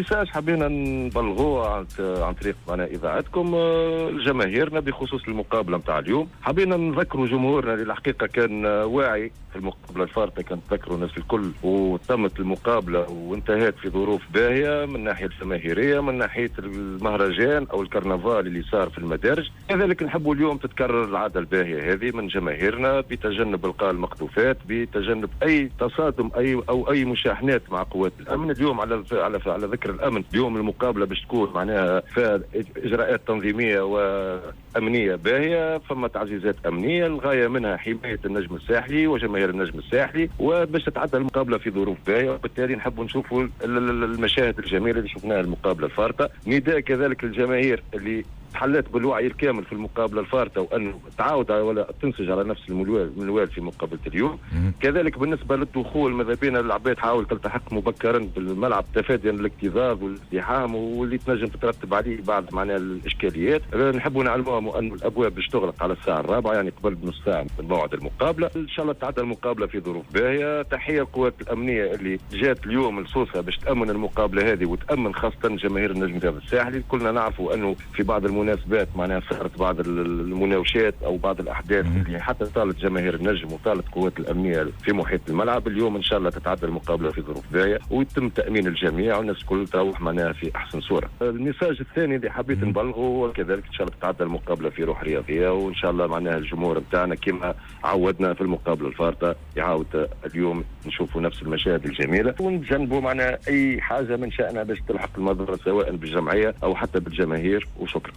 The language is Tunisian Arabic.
message حبينا نبلغوه عن طريق معناها اذاعتكم لجماهيرنا بخصوص المقابلة نتاع اليوم. حبينا نذكروا جمهورنا اللي الحقيقة كان واعي في المقابلة الفارطه، كان تذكروا الناس الكل، وتمت المقابلة وانتهت في ظروف باهيه من ناحية الجماهيرية، من ناحية المهرجان او الكرنفال اللي صار في المدارج. كذلك نحبوا اليوم تتكرر العادة الباهيه هذه من جماهيرنا بتجنب القاء المقذوفات، بتجنب اي تصادم اي او اي مشاحنات مع قوات الامن. اليوم على ذكر الامن، اليوم المقابلة باش تكون معناها فيها اجراءات تنظيميه وامنيه باهيه، فما تعزيزات امنية الغاية منها حماية النجم الساحلي وجماهير النجم الساحلي، وباش تتعدى المقابلة في ظروف باهيه، وبالتالي نحبوا نشوفوا المشاهد الجميلة اللي شفناها المقابلة الفارطه. نداء كذلك للجماهير اللي تحلت بالوعي الكامل في المقابلة الفارطه وانه تعاود ولا تنسج على نفس المنوال في مقابله اليوم. كذلك بالنسبة للدخول، ماذا بينا العباد تحاول تلتحق مبكرا بالملعب تفاديا للاكتظاظ والازدحام واللي تنجم تترتب عليه بعض معناها الاشكاليات. نحبوا نعلموهم انه الابواب باش تغلق على الساعة 4، يعني قبل بنص ساعة من موعد المقابلة. ان شاء الله تعدى المقابلة في ظروف باهيه. تحية للقوات الامنية اللي جات اليوم لسوسه باش تامن المقابلة هذه وتامن خاصة جماهير النجم الساحلي. كلنا نعرفوا انه في بعض المناسبات معناها صارت بعض المناوشات او بعض الاحداث اللي حتى طالت جماهير النجم وطالت قوات الامنية في محيط الملعب. اليوم ان شاء الله تتعدى المقابلة في ظروف باهيه ويتم تامين الجميع والناس الكل تروح معناها في احسن صوره. ال message الثاني اللي حبيت نبلغه هو كذلك ان شاء الله تتعدى المقابلة في روح رياضية، وان شاء الله معناها الجمهور نتاعنا كما عودنا في المقابلة الفارطه يعاود اليوم نشوفوا نفس المشاهد الجميلة، ونتجنبوا معناها اي حاجة من شأنها باش تلحق المضرة سواء بالجمعيه او حتى بالجماهير. وشكرا.